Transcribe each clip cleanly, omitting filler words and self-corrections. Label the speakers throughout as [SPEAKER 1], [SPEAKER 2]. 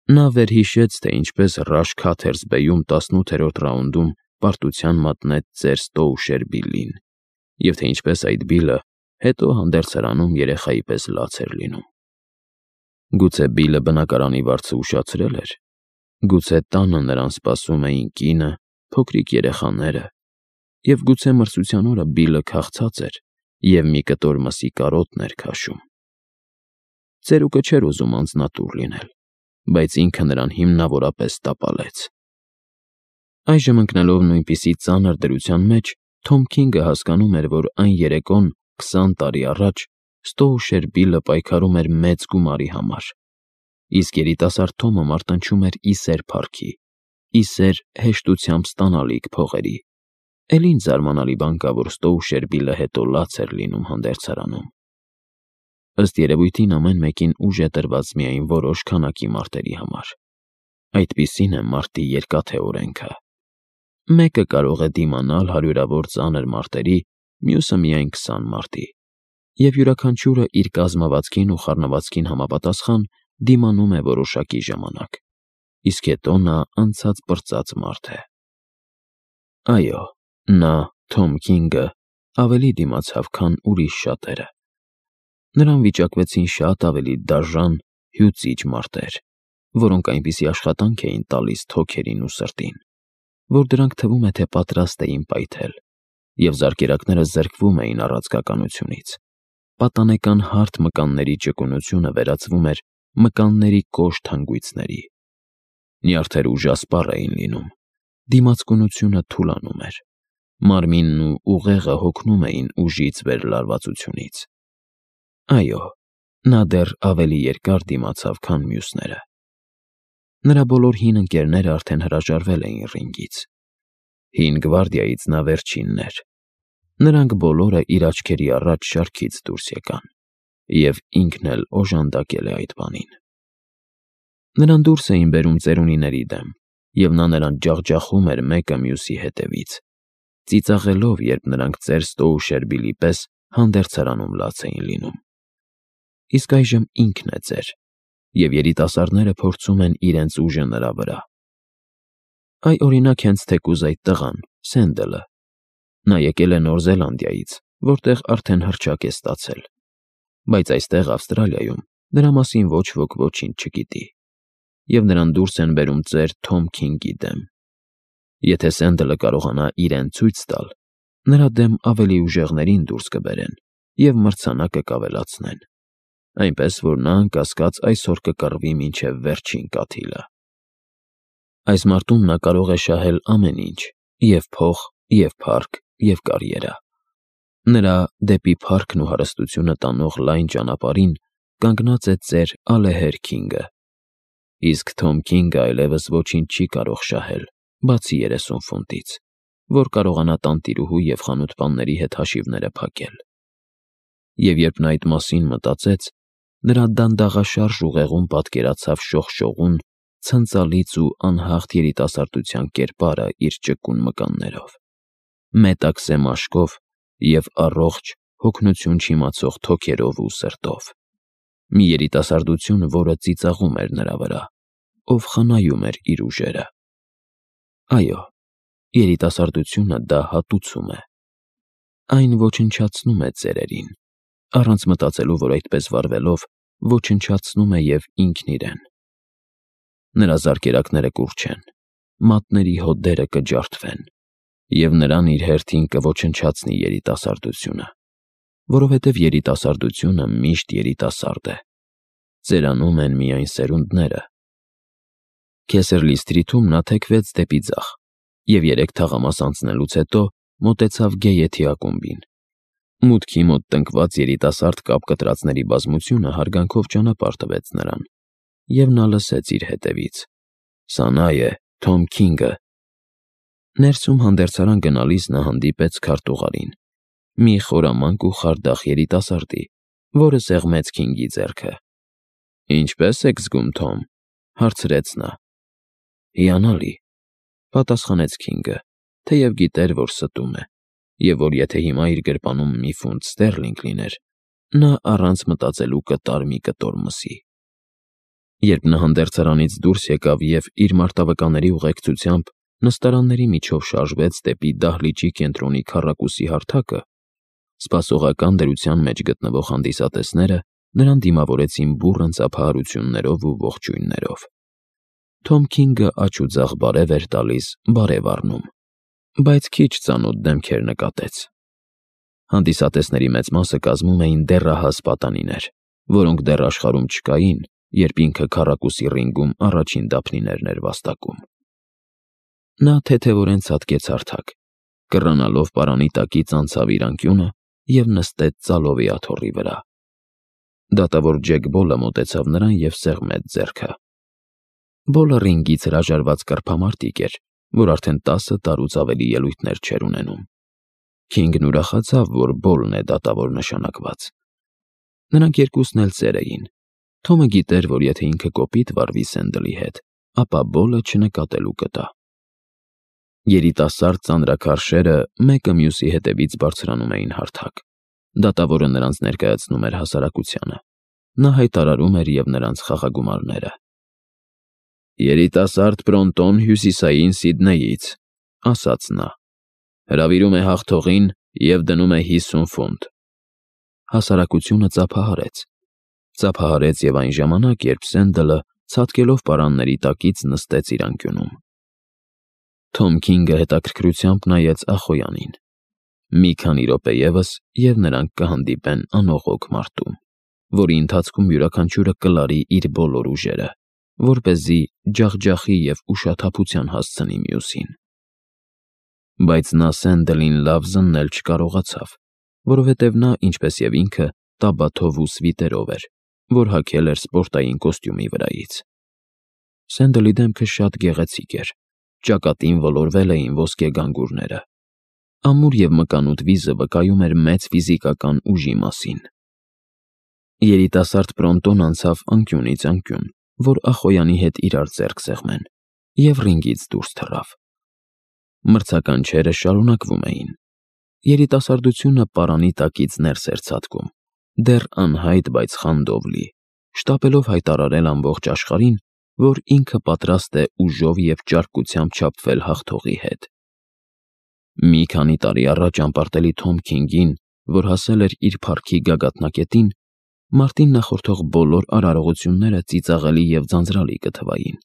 [SPEAKER 1] Նա վերհիշեց, թե ինչպես Ռաշ Քաթերսբեյում 18-րդ ռաունդում պարտության մատնեց ծեր Ստոուշեր Բիլլին, և թե ինչպես այդ Բիլլը հետո հանդերձարանում երեխայի պես լաց էր լինում։ Գուցե Բիլլը բնակարանի վարձը ուշացրել էր։ Գուցե տանը նրան սպասում էին կինը, փոքրիկ երեխաները, և գուցե մրցության օրը Բիլլը քաղցած էր և մի կտոր մսի կարոտն էր քաշում։ Ծերուկը չէր ուզում անձնատուր լինել, բայց ինքը նրան հիմնավորապես տապալեց։ Այժմ ընկնելով նույնպիսի ծանր դրության մեջ, Թոմ Քինգը հասկանում էր, որ այն երեկոն 20 տարի առաջ Ստոուշեր Բիլլը պայքարում էր մեծ գումարի համար, իսկ երիտասարդ Թոմը մարտնչում էր ի սեր փառքի, ի սեր հեշտությամբ ստանալիք փողերի։ Էլ ինչ զարմանալի բան կա, որ Ստոուշեր Բիլլը հետո լաց էր լինում հանդերձարանում։ Ըստ երևույթին ամեն մեկին ուժ է տրված միայն որոշ քանակի մարտերի համար։ Այդպիսին է մարտի երկաթե օրենքը։ Մեկը կարող է դիմանալ հարյուրավոր ծանր մարտերի, մյուսը միայն 20 մարտի, և յուրաքանչյուրը իր կազմվածքին ու խառնվածքին համապատասխան դիմանում է որոշակի ժամանակ, իսկ հետո նա անցած-պրծած մարդ է։ Այո, նա, Թոմ Քինգը, ավելի դիմացավ, քան ուրիշ շատերը։ Նրան վիճակվեցին շատ ավելի դաժան, հյուծիչ մարտեր, որոնք այնպիսի աշխատանք էին տալիս թոքերին ու սրտին, որ դրանք թվում է, թե պատրաստ էին պայթել, և զարկերակները զրկվում էին առաձգականությունից։ Պատանեկան հարթ մկանների ճկունությունը վերածվում էր մկանների կոշտ հանգույցների։ Նյարդերը ուժասպառ էին լինում, դիմացկունությունը թուլանում էր, մարմինն ու ուղեղը հոգնում էին ուժից վերլարվածությունից։ Այո, նա դեռ ավելի երկար դիմացավ, քան մյուսները։ Նրա բոլոր հին ընկերները արդեն հրաժարվել էին ռինգից։ Հին գվարդիայից նա վերջինն էր։ Նրանք բոլորը իր աչքերի առաջ շարքից դուրս եկան, և ինքն էլ օժանդակել է այդ բանին։ Նրան դուրս էին բերում ծերունիների դեմ, և նա նրանց ջախջախում էր մեկը մյուսի հետևից, ծիծաղելով, երբ նրանք ծեր Ստոուշեր Բիլլի պես հանդերձարանում լաց էին լինում։ Իսկ այժմ ինքն է ծեր, և երիտասարդները փորձում են իրենց ուժը նրա վրա։ Այ օրինակ հենց թեկուզ այդ տղան՝ Սենդելը։ Նա եկել է Նոր Զելանդիայից, որտեղ արդեն հռչակ է ստացել, բայց այստեղ Ավստրալիայում նրա մասին ոչ ոք ոչինչ չգիտի, և նրան դուրս են բերում ծեր Թոմ Քինգի դեմ։ Եթե Սենդելը կարողանա իրեն ցույց տալ, նրա դեմ ավելի ուժեղներին դուրս կբերեն և մրցանակը կավելացնեն, այնպես որ նա անկասկած այսօր կկռվի մինչև վերջին կաթիլը։ Այս մարտում նա կարող է շահել ամեն ինչ՝ և փող, և փառք, և կարիերա։ Նրա դեպի փառքն ու հարստությունը տանող լայն ճանապարհին կանգնած է ծեր ալեհեր Քինգը, իսկ Թոմ Քինգը այլևս ոչինչ չի կարող շահել, բացի 30 ֆունտից, որ կարողանա տանտիրուհու և խանութպանների հետ հաշիվները փակել։ Եվ երբ նա այդ մասին մտածեց, նրա դանդաղաշարժ ուղեղում պատկերացավ շողշողուն, ցնծալից ու անհաղթ երիտասարդության կերպարը իր ճկուն մկաններով, մետաքսե մաշկով և առողջ, հոգնություն չիմացող թոքերով ու սրտով։ Մի երիտասարդություն, որը ծիծաղում էր նրա վրա, ով խնայում էր իր ուժերը։ Այո, երիտասարդությունը դա հատուցում է։ Այն ոչնչացնում է ծերերին, առանց մտածելու, որ այդպես վարվելով ոչնչացնում է և ինքն իրեն։ Նրա զարկերակները կուռչեն, մատների հոդերը կջարդվեն, և նրան իր հերթին կոչնչացնի երիտասարդությունը, որովհետև երիտասարդությունը միշտ երիտասարդ է։ Ծերանում են միայն սերունդները։ Քեսերլի Սթրիթում նա թեքվեց դեպի ձախ և 3 թաղամաս անցնելուց հետո մոտեցավ Գեյեթի ակումբին։ Մուտքի մոտ տնկված երիտասարդ կապկտրածների բազմությունը հարգանքով ճանապարհ տվեց նրան, և նա լսեց իր հետևից. «Սա նա է, Թոմ Քինգը»։ Ներսում հանդերձարան գնալիս նա հանդիպեց քարտուղարին, մի խորամանկ ու խարդախ երիտասարդի, որը սեղմեց Քինգի ձեռքը։ «Ինչպե՞ս եք զգում, Թոմ», հարցրեց նա։ «Հիանալի», պատասխանեց Քինգը, թեև գիտեր, որ ստում է, և որ եթե հիմա իր գրպանում մի ֆունտ ստերլինգ լիներ, նա առանց մտածելու կտար մի կտոր մսի։ Երբ նա հանդերձարանից դուրս եկավ և իր մարտավկանների ուղեկցությամբ նստարանների միջով շարժվեց դեպի դահլիճի կենտրոնի քառակուսի հարթակը, սպասողական դրության մեջ գտնվող հանդիսատեսները նրան դիմավորեցին բուռն ծափահարություններով ու ողջույններով։ Թոմ Քինգը աջ ու ձախ բարև էր տալիս, բարև առնում, բայց քիչ ծանոթ դեմքեր նկատեց։ Հանդիսատեսների մեծ մասը կազմում էին դեռահաս պատանիներ, որոնք դեռ աշխարհում չկային, երբ ինքը քառակուսի ռինգում առաջին դափնիներն էր վաստակում։ Նա թեթևորեն ցատկեց հարթակ, կռանալով պարանի տակից անցավ իր անկյունը և նստեց ծալովի աթոռի վրա։ Դատավոր Ջեք Բոլը մոտեցավ նրան և սեղմեց ձեռքը։ Բոլը ռինգից հրաժարված կռփամարտիկ էր, որ արդեն 10 տարուց ավելի ելույթներ չէր ունենում։ Քինգն ուրախացավ, որ Բոլն է դատավոր նշանակված։ Նրանք երկուսն էլ ծեր էին։ Թոմը գիտեր, որ եթե ինքը կոպիտ վարվի Սենդլի հետ, ապա Բոլը չնկատելու կտա։ Երիտասարդ ծանրաքարշերը մեկը մյուսի հետևից բարձրանում էին հարթակ։ Դատավորը նրանց ներկայացնում էր հասարակությանը։ Նա հայտարարում էր և նրանց խաղագումարները։ «Երիտասարդ Բրոնտոն Հյուսիսային Սիդնեյից», ասաց նա, «հրավիրում է հաղթողին և դնում է 50 ֆունտ»։ Հասարակությունը ծափահարեց և այն ժամանակ, երբ Սենդլը, ցատկելով պարանների տակից, նստեց իր անկյունում։ Թոմ Քինգը հետաքրքրությամբ նայեց Ախոյանին։ Մի քանի րոպե ևս, և նրանք կհանդիպեն անողոք մարտում, որի ընթացքում յուրաքանչյուրը կլարի իր բոլոր ուժերը, որպեսզի ջախջախի և ուշաթափության հասցնի մյուսին։ Բայց նա Սենդլին լավ զննել չկարողացավ, որովհետև նա, ինչպես և ինքը, տաբաթով ու սվիտերով էր, որ հագել էր սպորտային կոստյումի վրայից։ Սենդլի դեմքը շատ գեղեցիկ էր, ճակատին ոլորվել էին ոսկե գանգուրները։ Ամուր և մկանուտ վիզը վկայում էր մեծ ֆիզիկական ուժի մասին։ Երիտասարդ Բրոնտոն անցավ անկյունից անկյուն, որ Ախոյանի հետ իրար ձեռք սեղմեն, և ռինգից դուրս թռավ։ Մրցականչերը շարունակվում էին։ Երիտասարդությունը պարանի տակից ներս էր ցատկում, դեռ անհայտ, բայց խանդով լի, շտապելով հայտարարել ամբողջ աշխարհին, որ ինքը պատրաստ է ուժով և ճարպկությամբ չափվել հաղթողի հետ։ Մի քանի տարի առաջ անպարտելի Թոմ Քինգին, որ հասել էր իր փառքի գագաթնակետին, մարտին նախորդող բոլոր արարողությունները ծիծաղելի և ձանձրալի կթվային։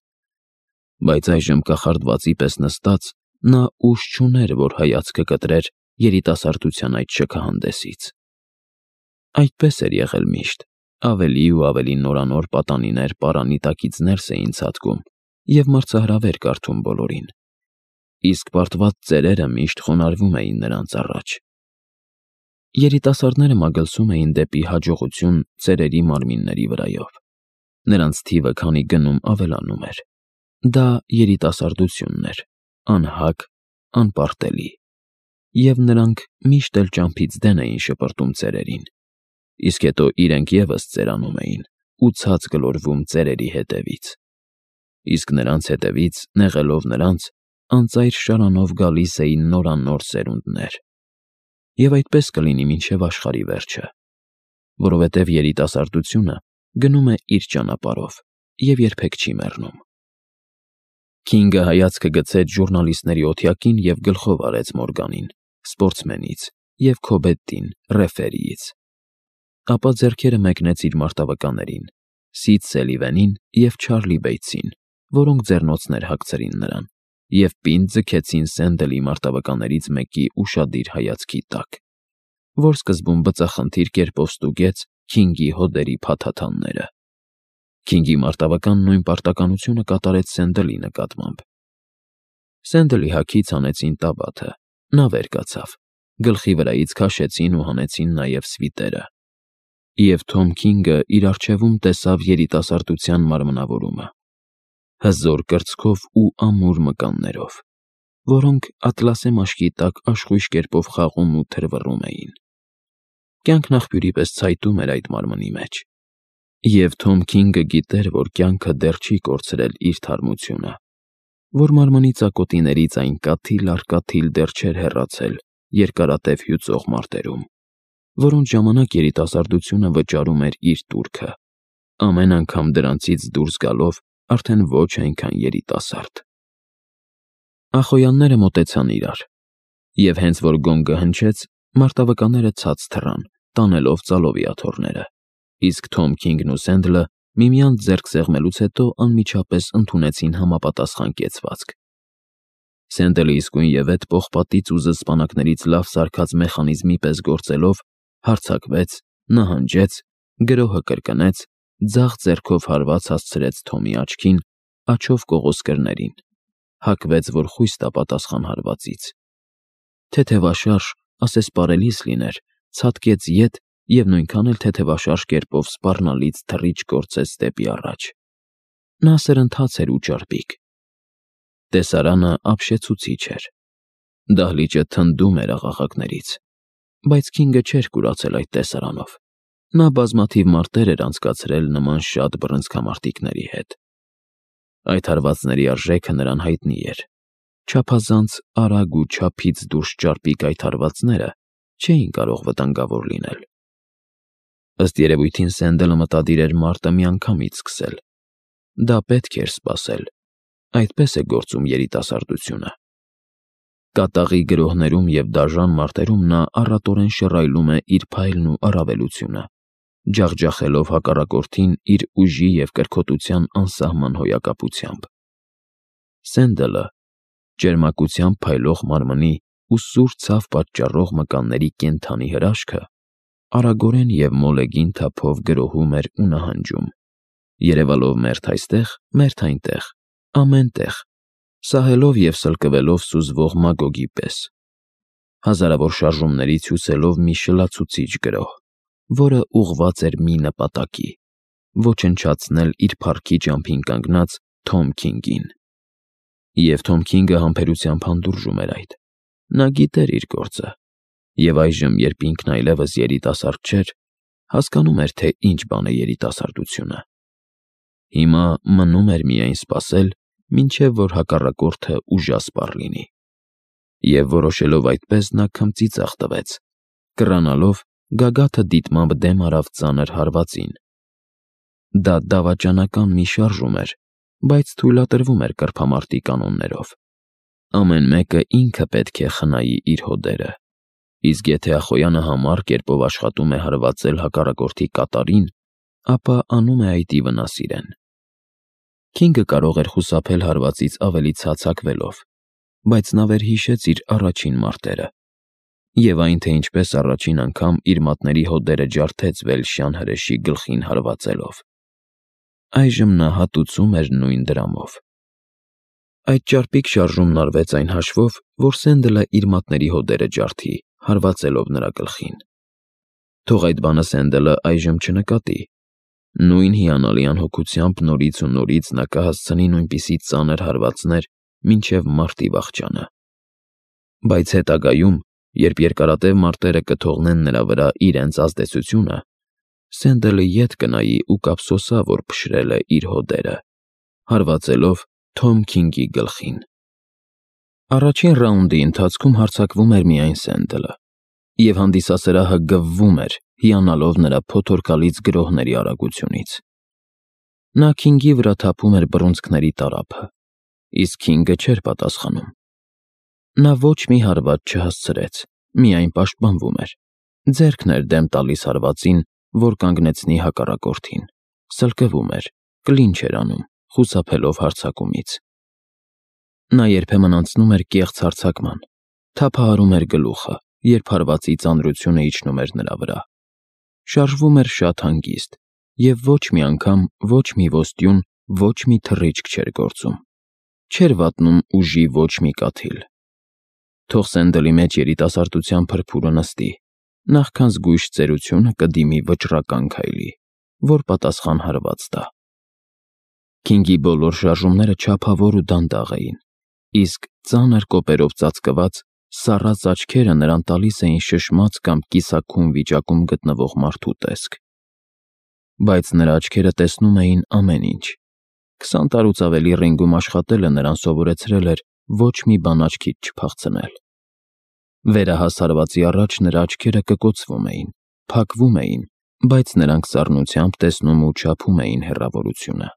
[SPEAKER 1] Բայց այժմ կախարդվածի պես նստած, նա ուժ չուներ, որ հայացքը կտրեր երիտասարդության այդ շքահանդեսից։ Այդպես էր եղել միշտ, ավելի ու ավելի նորանոր պատանիներ պարանի տակից ներս էին ցատկում և մրցահրավեր կարդում բոլորին, իսկ պարտված ծերերը միշտ խոնարհվում էին նրանց առաջ։ Երիտասարդները մագլցում էին դեպի հաջողություն ծերերի մարմինների վրայով։ Նրանց թիվը քանի գնում ավելանում էր։ Դա երիտասարդությունն էր, անհագ, անպարտելի։ Եվ նրանք միշտ էլ ճամփից դեն էին շպրտում ծերերին, իսկ հետո իրենք ևս ծերանում էին ու ցած գլորվում ծերերի հետևից։ Իսկ նրանց հետևից, նեղելով նրանց, անծայր շարանով գալիս էին նորանոր սերունդներ։ Եվ այդպես կլինի մինչև աշխարհի վերջը, որովհետև երիտասարդությունը գնում է իր ճանապարհով և երբեք չի մեռնում։ Քինգը հայացքը գցեց ժուրնալիստների օթյակին և գլխով արեց Մորգանին, սպորտսմենից, և Քոբեդդին, ռեֆերիից։ Ապա ձեռքերը մեկնեց իր մարտավկաներին՝ Սիդ Սելիվենին և Չարլի Բեյթսին, որոնք ձեռնոցներ հագցրին նրան, և պինդ ձգեցին Սենդլի մարտավկաներից մեկի ուշադիր հայացքի տակ, որ սկզբում բծախնդիր կերպով ստուգեց Քինգի հոդերի փաթաթանները։ Քինգի մարտավկան նույն պարտականությունը կատարեց Սենդլի նկատմամբ։ Սենդլի հագից հանեցին տաբաթը, նա վեր կացավ, գլխի վրայից քաշեցին ու հանեցին նաև սվիտերը։ Եվ Թոմ Քինգը իր առջևում տեսավ երիտասարդության մարմնավորումը, հզոր կրծքով ու ամուր մկաններով, որոնք ատլասե մաշկի տակ աշխույժ կերպով խաղում ու թրվռում էին։ Կյանքն աղբյուրի պես ցայտում էր այդ մարմնի մեջ։ Եվ Թոմ Քինգը գիտեր, որ կյանքը դեռ չի կորցրել իր թարմությունը, որ մարմնի ծակոտիներից այն կաթիլ առ կաթիլ դեռ չէր հեռացել երկարատև հյուծող մարտերում, որոնց ժամանակ երիտասարդությունը վճարում էր իր տուրքը, ամեն անգամ դրանցից դուրս գալով արդեն ոչ այնքան երիտասարդ։ Ախոյանները մոտեցան իրար, և հենց որ գոնգը հնչեց, մարտավկանները ցած թռան, տանելով ծալովիաթոռները, իսկ Թոմ Քինգն ու Սենդլը միմյանց ձեռք սեղմելուց հետո անմիջապես ընդունեցին համապատասխան կեցվածք։ Սենդլը իսկույն ևեթ պողպատից ու զսպանակներից լավ սարքած մեխանիզմի պես գործելով, հարձակվեց, նահանջեց, գրոհը կրկնեց, ձախ ձեռքով հարված հասցրեց Թոմի աչքին, աջով կողոսկրներին, հակվեց, որ խույս տա պատասխան հարվածից։ Թեթևաշարժ, ասես պարելիս լիներ, ցատկեց ետ և նույնքան էլ թեթևաշարժ կերպով սպառնալից թռիչք գործեց դեպի առաջ։ Նա սրընթաց էր ու ճարպիկ։ Տեսարանը ապշեցուցիչ էր։ Դահլիճը թնդում էր աղաղակներից, բայց Քինգը չէր կուրացել այդ տեսարանով։ Նա բազմաթիվ մարտեր էր անցկացրել նման շատ բռնցքամարտիկների հետ։ Այդ հարվածների արժեքը նրան հայտնի էր։ Չափազանց արագ ու չափից դուրս ճարպիկ այդ հարվածները չէին կարող վտանգավոր լինել։ Ըստ երևույթին Սենդլը մտադիր էր մարտը միանգամից սկսել։ Դա պետք էր սպասել։ Այդպես է գործում երիտասարդությունը։ Կատաղի գրոհներում և դաժան մարտերում նա առատորեն շռայլում է իր փայլն ու առավելությունը, ջախջախելով հակառակորդին իր ուժի և կրքոտության անսահման հոյակապությամբ։ Սենդլը, ճերմակությամբ փայլող մարմնի ու սուր ցավ պատճառող մկանների կենդանի հրաշքը, արագորեն և մոլեգին թափով գրոհում էր ու նահանջում, երևալով մերթ այստեղ, մերթ այնտեղ, ամեն տեղ, սահելով և սլկվելով սուզվող մագոգի պես, հազարավոր շարժումներից հյուսելով մի շլացուցիչ գրոհ, որը ուղղված էր մի նպատակի՝ ոչնչացնել իր փառքի ճամփին կանգնած Թոմ Քինգին։ Եվ Թոմ Քինգը համբերությամբ հանդուրժում էր այդ։ Նա գիտեր իր գործը, և այժմ, երբ ինքն այլևս երիտասարդ չէր, հասկանում էր, թե ինչ բան է երիտասարդությունը։ Հիմա մնում էր միայն սպասել, մինչև որ հակառակորդը ուժասպառ լինի։ Եվ որոշելով այդպես, նա քմծիծաղ տվեց, կռանալով գագաթը դիտմամբ դեմ արավ ծանր հարվածին։ Դա դավաճանական մի շարժում էր, բայց թույլատրվում էր կրբամարտի կանոններով։ Ամեն մեկը ինքը պետք է խնայի իր հոդերը, իսկ եթե Ախոյանը համառ կերպով աշխատում է հարվածել հակառակորդի կատարին, ապա անում է այդ ի վնաս իրեն։ Քինգը կարող էր խուսափել հարվածից ավելի ցած հագվելով, բայց նա վերհիշեց իր առաջին մարտերը և այն, թե ինչպես առաջին անգամ իր մատների հոդերը ջարդեց Վելշյան հրեշի գլխին հարվածելով։ Այժմ նա հատուցում էր նույն դրամով։ Այդ ճարպիկ շարժումն արվեց այն հաշվով, որ Սենդլը իր մատների հոդերը ջարդի, հարվածելով նրա գլխին։ Թող այդ բանը Սենդլը այժմ չնկատի։ Նույն հիանալի անհոգությամբ նորից ու նորից նա կհասցնի նույնպիսի ծանր հարվածներ մինչև մարտի վախճանը։ Բայց հետագայում, երբ երկարատև մարտերը կթողնեն նրա վրա իրենց ազդեցությունը, Սենդլը ետ կնայի ու կափսոսա, որ փշրել է իր հոդերը, հարվածելով Թոմ Քինգի գլխին։ Առաջին ռաունդի ընթացքում հարձակվում էր միայն Սենդլը, և հանդիսասրահը գվվում էր, հիանալով նրա փոթորկալից գրոհների արագությունից։ Նա Քինգի վրա թափում էր բռունցքների տարափը, իսկ Քինգը չէր պատասխանում։ Նա ոչ մի հարված չհասցրեց, միայն պաշտպանվում էր, ձեռքն էր դեմ տալիս հարվածին, որ կանգնեցնի հակառակորդին, սլկվում էր, կլինչ էր անում, խուսափելով հարձակումից։ Նա երբեմն անցնում էր կեղծ հարձակման, թափահարում էր գլուխը, երբ հարվածի ծանրությունը իջնում էր նրա վրա, շարժվում էր շատ հանգիստ և ոչ մի անգամ ոչ մի ոստյուն, ոչ մի թռիչք չէր գործում, չէր վատնում ուժի ոչ մի կաթիլ։ Թող Սենդլի մեջ երիտասարդության փրփուրը նստի, նախքան զգույշ ծերությունը կդիմի վճռական քայլի, որ պատասխան հարված տա։ Քինգի բոլոր շարժումները չափավոր ու դանդաղ էին, իսկ ծանր կոպերով ծածկված, սառած աչքերը նրան տալիս էին շշմած կամ կիսաքուն վիճակում գտնվող մարդու տեսք։ Բայց նրա աչքերը տեսնում էին ամեն ինչ։ 20 տարուց ավելի ռինգում աշխատելը նրան սովորեցրել էր ոչ մի բան աչքից չփախցնել։ Վերահաս հարվածի առաջ նրա աչքերը կկոցվում էին, փակվում էին, բայց նրանք սառնությամբ տեսնում ու չափում էին հեռավորությունը։